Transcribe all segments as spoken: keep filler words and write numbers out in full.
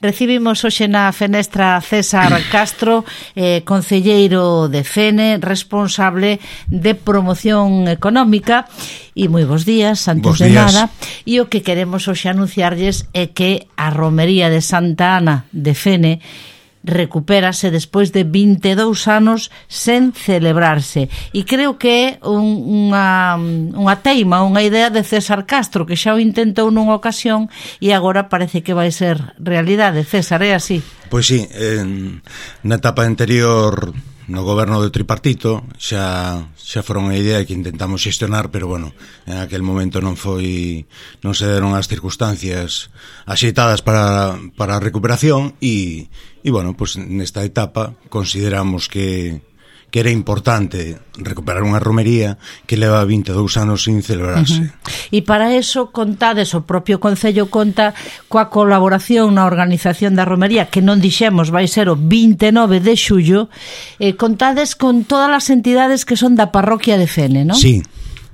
Recibimos hoxe na fenestra César Castro, eh, concelleiro de Fene, responsable de promoción económica. E moi bons días, antes bos de días. nada. E o que queremos hoxe anunciarlles é que a romería de Santa Ana de Fene recupérase despois de vinte e dous anos sen celebrarse, e creo que é un, unha, unha teima, unha idea de César Castro, que xa o intentou nunha ocasión e agora parece que vai ser realidade. César, é así? Pois sí, en, na etapa anterior no goberno do tripartito xa xa foron unha idea que intentamos xestionar, pero bueno, en aquel momento non foi non se deron as circunstancias axeitadas para, para a recuperación e, e bueno, pues nesta etapa consideramos que que era importante recuperar unha romería que leva vinte e dous anos sin celebrarse. Uh-huh. E para eso contades, o propio Concello conta coa colaboración na organización da romería, que non dixemos vai ser o vinte e nove de xullo, eh, contades con todas as entidades que son da parroquia de Fene, non? Sí,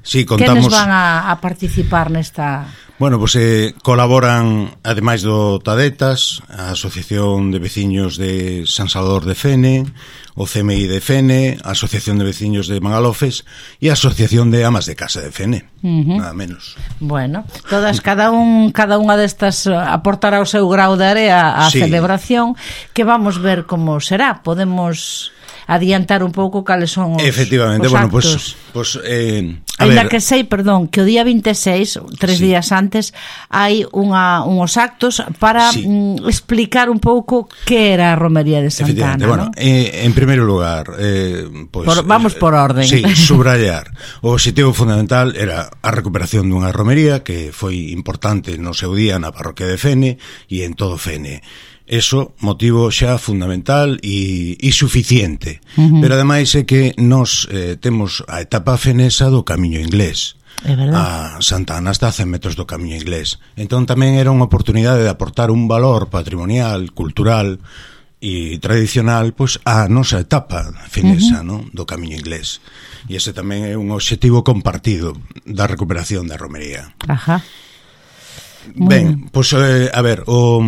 sí, contamos. Quenes van a, a participar nesta... Bueno, pues eh, colaboran, ademais do Tadetas, a Asociación de Veciños de San Salvador de Fene, o C M I de Fene, a Asociación de Veciños de Mangalofes e a Asociación de Amas de Casa de Fene, uh-huh. Nada menos. Bueno, todas, cada un cada unha destas aportará o seu grau de area á sí. celebración, que vamos ver como será. Podemos adiantar un pouco cales son os, efectivamente, os bueno, actos. Pues, pues, eh, a Ainda ver, que sei, perdón, que o día vinte e seis, tres sí. días antes, hai unha, unhos actos para sí. mm, explicar un pouco que era a romería de Santa Ana, bueno, ¿no? eh, en primeiro lugar, eh, pues, por, vamos por orden. Sí, subrayar. O objetivo fundamental era a recuperación dunha romería que foi importante no seu día na parroquia de Fene e en todo Fene. Eso, motivo xa fundamental e, e suficiente. Uh-huh. Pero ademais é que nos eh, temos a etapa fenesa do Camiño Inglés. É verdade. A Santa Ana está a cen metros do Camiño Inglés. Entón tamén era unha oportunidade de aportar un valor patrimonial, cultural e tradicional pois a nosa etapa fenesa, uh-huh. ¿no? Do Camiño Inglés. E ese tamén é un objetivo compartido da recuperación da romería. Ajá. Ben, pois eh, a ver, o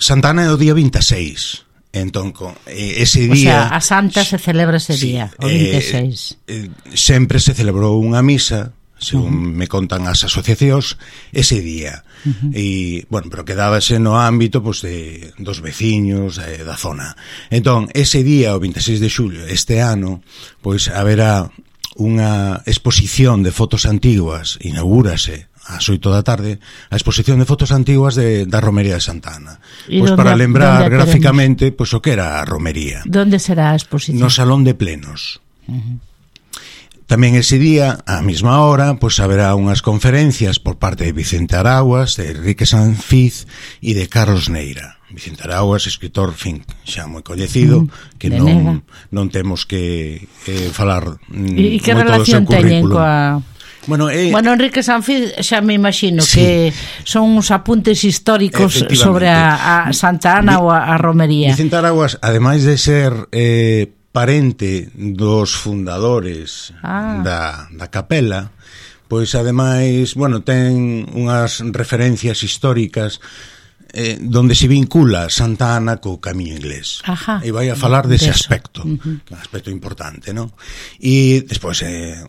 Santa Ana é o día vinte e seis. Entón, ese día... O sea, a Santa se celebra ese sí, día, o vinte e seis. Eh, eh, sempre se celebrou unha misa, según uh-huh. me contan as asociacións, ese día. Uh-huh. E, bueno, pero quedábase no ámbito pues, de, dos veciños eh, da zona. Entón, ese día, o vinte e seis de xullo, este ano, pois haberá unha exposición de fotos antiguas, inaugúrase ás oito da tarde, a exposición de fotos antiguas de, da romería de Santa Ana. Pois para lembrar gráficamente pois, o que era a romería. Donde será a exposición? No Salón de Plenos. Uh-huh. Tamén ese día, á mesma hora, pois haberá unhas conferencias por parte de Vicente Araguas, de Enrique Sanfiz e de Carlos Neira. Vicente Araguas, escritor, fin, xa moi coñecido, uh-huh. que non, non temos que eh, falar e, e que relación teñen coa... Bueno, eh, bueno, Enrique Sanfiz xa me imagino sí. que son uns apuntes históricos sobre a, a Santa Ana Vi, ou a, a romería. Vicente Araguas, ademais de ser eh, parente dos fundadores ah. da, da capela, pois ademais, bueno, ten unhas referencias históricas eh, donde se vincula Santa Ana co Camiño Inglés. Ajá. E vai a falar dese de aspecto, uh-huh. que é un aspecto importante, ¿no? E despois eh,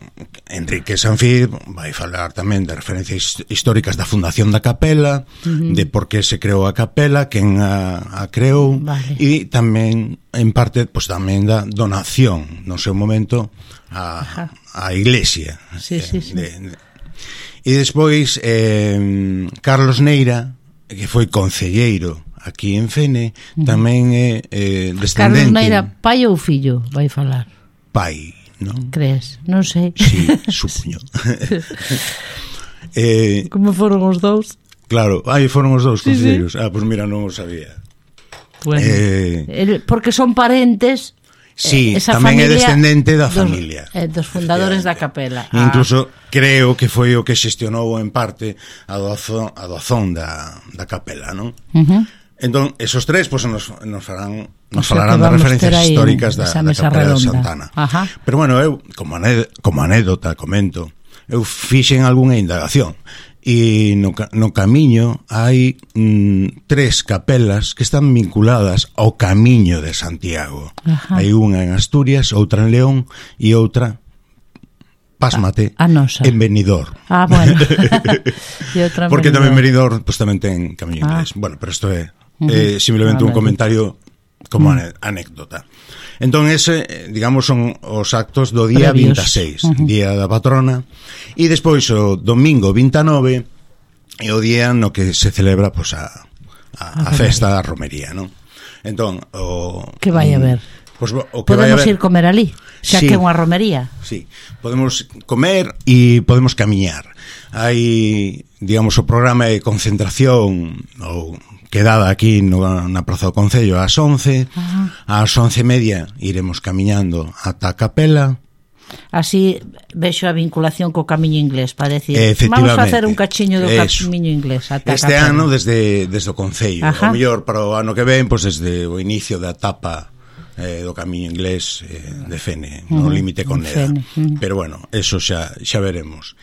Enrique Sanfiz vai falar tamén de referencias históricas da fundación da capela, uh-huh. de por que se creou a capela, quen a, a creou, vale. E tamén, en parte, pues, tamén da donación, no seu momento, a, a iglesia. Sí, sí, sí. De, de, e despois, eh, Carlos Neira, que foi concelleiro aquí en Fene, uh-huh. tamén é eh, descendente... Carlos Neira, pai ou fillo, vai falar? Pai, non? Crees? Non sei. Sí, supoño. eh, Como foron os dous? Claro, aí foron os dous concelleiros. Sí, sí. Ah, pois pues mira, non o sabía. Bueno, eh, porque son parentes... Sí, esa tamén é familia descendente da dos, familia eh, dos fundadores da capela. Ah. Incluso creo que foi o que xestionou en parte a doazón, a doazón da, da capela, non? Uh-huh. Entón, esos tres pues, nos, nos farán nos o sea, falarán de referencias históricas da, da capela redonda. De Santa Ana. Ajá. Pero bueno, eu, como, anéd- como anécdota, comento, eu fixen algunha indagación. e no, no camiño hai mm, tres capelas que están vinculadas ao Camiño de Santiago. Ajá. Hai unha en Asturias, outra en León e outra, pásmate, a, a nosa. En Benidorm. Ah, bueno. E outra en Porque Benidorm. tamén Benidorm pues, tamén ten Camiño ah. Inglés. Bueno, pero isto é uh-huh. eh, simplemente un comentario como uh-huh. anécdota. Entón ese, digamos, son os actos do día Previos. vinte e seis, uh-huh. día da patrona, e despois o domingo vinte e nove é o día no que se celebra pues, a, a, a festa da romería, non? Entón, o... Que vai a ver? Pues, o que podemos vai a ver... ir comer ali, xa sí, que é unha romería. Sí, podemos comer e podemos camiñar. Hai, digamos, o programa de concentración ou quedada aquí no, na Praza do Concello ás once, ajá. ás once e media iremos camiñando ata a capela. Así vexo a vinculación co Camiño Inglés, para decir, vamos a facer un cachiño do eso. Camiño Inglés ata este capela. Ano desde, desde o Concello, o mellor para o ano que ven, pois pues, desde o inicio da etapa eh, do Camiño Inglés eh, de Fene, uh-huh. no límite con Neda, uh-huh. pero bueno, eso xa, xa veremos.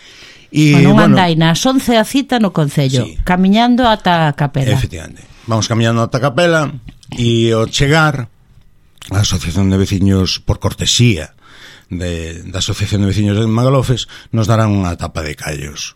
E, bueno, unha bueno, andaina, as once a cita no Concello, sí. camiñando ata a capela. Efectivamente, vamos camiñando ata a capela e ao chegar a Asociación de Veciños, por cortesía de, da Asociación de Veciños de Magalofes, nos darán unha tapa de callos,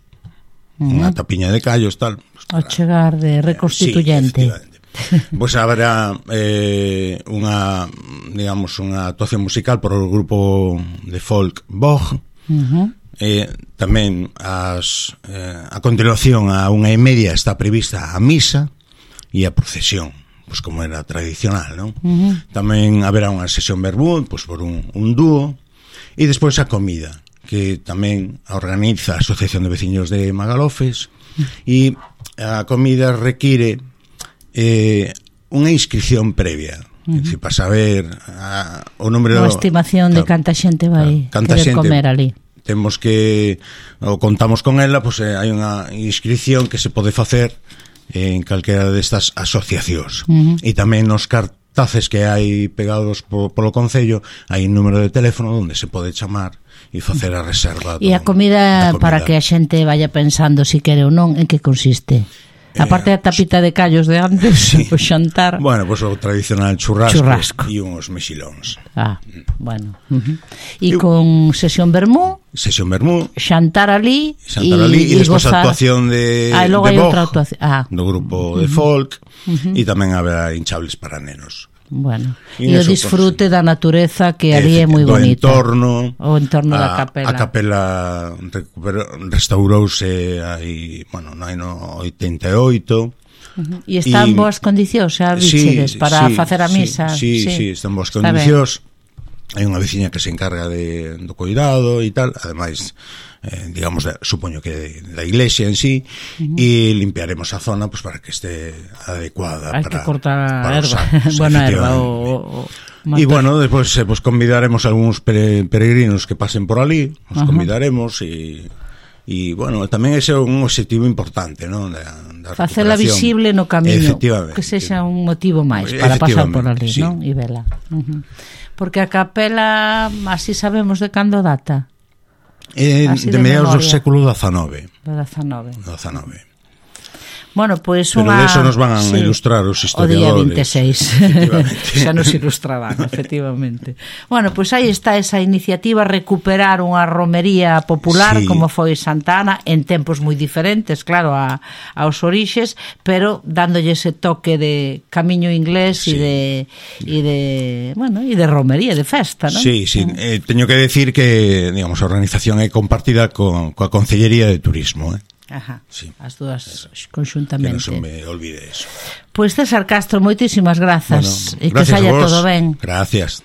uh-huh. unha tapiña de callos tal. Pues, ao chegar de reconstituyente. Sí, pois pues haberá eh, unha, digamos, unha actuación musical por o grupo de folk Bog. Uh-huh. Eh, tamén as, eh, a continuación a unha e media está prevista a misa e a procesión, pois como era tradicional, non? Uh-huh. Tamén haberá unha sesión verbú, pois por un, un dúo, e despois a comida, que tamén a organiza a Asociación de Veciños de Magalofes, e a comida require eh, unha inscripción previa. Uh-huh. Si para saber a, o número... Unha estimación claro, de canta xente vai canta querer xente, comer ali. Temos que, ou contamos con ela, pois pues, hai unha inscripción que se pode facer en calquera destas asociacións. Uh-huh. E tamén nos cartaces que hai pegados po, polo Concello hai un número de teléfono onde se pode chamar e facer a reserva. E a comida, comida, para que a xente vaya pensando si quere ou non, en que consiste? A parte da tapita de callos de antes, sí. o xantar. Bueno, pois pues, o tradicional churrasco, churrasco. E uns mexilóns. Ah, bueno. Uh-huh. E con sesión vermú. Sesión vermú. Xantar ali. Xantar ali e, e despois a actuación de, ah, de Bog, ah. do grupo uh-huh. de folk, uh-huh. e tamén haberá hinchables para nenos. Bueno, e o disfrute da natureza que ali é moi bonita. O entorno, o entorno da capela. A capela restaurouse aí, bueno, no ano oitenta e oito. Uh-huh. E está en boas condicións, xa bichedes, sí, para sí, facer a misa. Sí, sí, sí, sí, está en boas condicións. Hai unha veciña que se encarga de, do cuidado e tal, ademais, eh, digamos, de, supoño que da iglesia en sí, uh-huh. e limpiaremos a zona pues, para que esté adecuada. Hai para, que cortar a erva, buena erva o, o e bueno, despois eh, pues, convidaremos a algúns peregrinos que pasen por ali, os uh-huh. convidaremos e e bueno, tamén ese é un objetivo importante, non? Facela visible no camiño, que sexa un motivo máis para pasar por ali, sí. non? E vela. Uh-huh. Porque a capela así sabemos de cando data. Eh, de, de mediados do século dezanove. Do dezanove. dezanove. Bueno, pois pues unha... Pero de eso nos van a sí, ilustrar os historiadores. O día vinte e seis. Xa nos ilustrarán, efectivamente. Bueno, pois pues aí está esa iniciativa, recuperar unha romería popular, sí. como foi Santa Ana, en tempos moi diferentes, claro, a, aos orixes, pero dándolle ese toque de camiño inglés e sí. de, e de, bueno, e de romería, de festa, non? Sí, sí. Eh, teño que decir que, digamos, a organización é compartida co, coa Concellería de Turismo, eh? Ajá, sí. As dúas conxuntamente. Que non se me olvide eso. Pois pues César Castro, moitísimas grazas, bueno, e que saia todo ben. Gracias.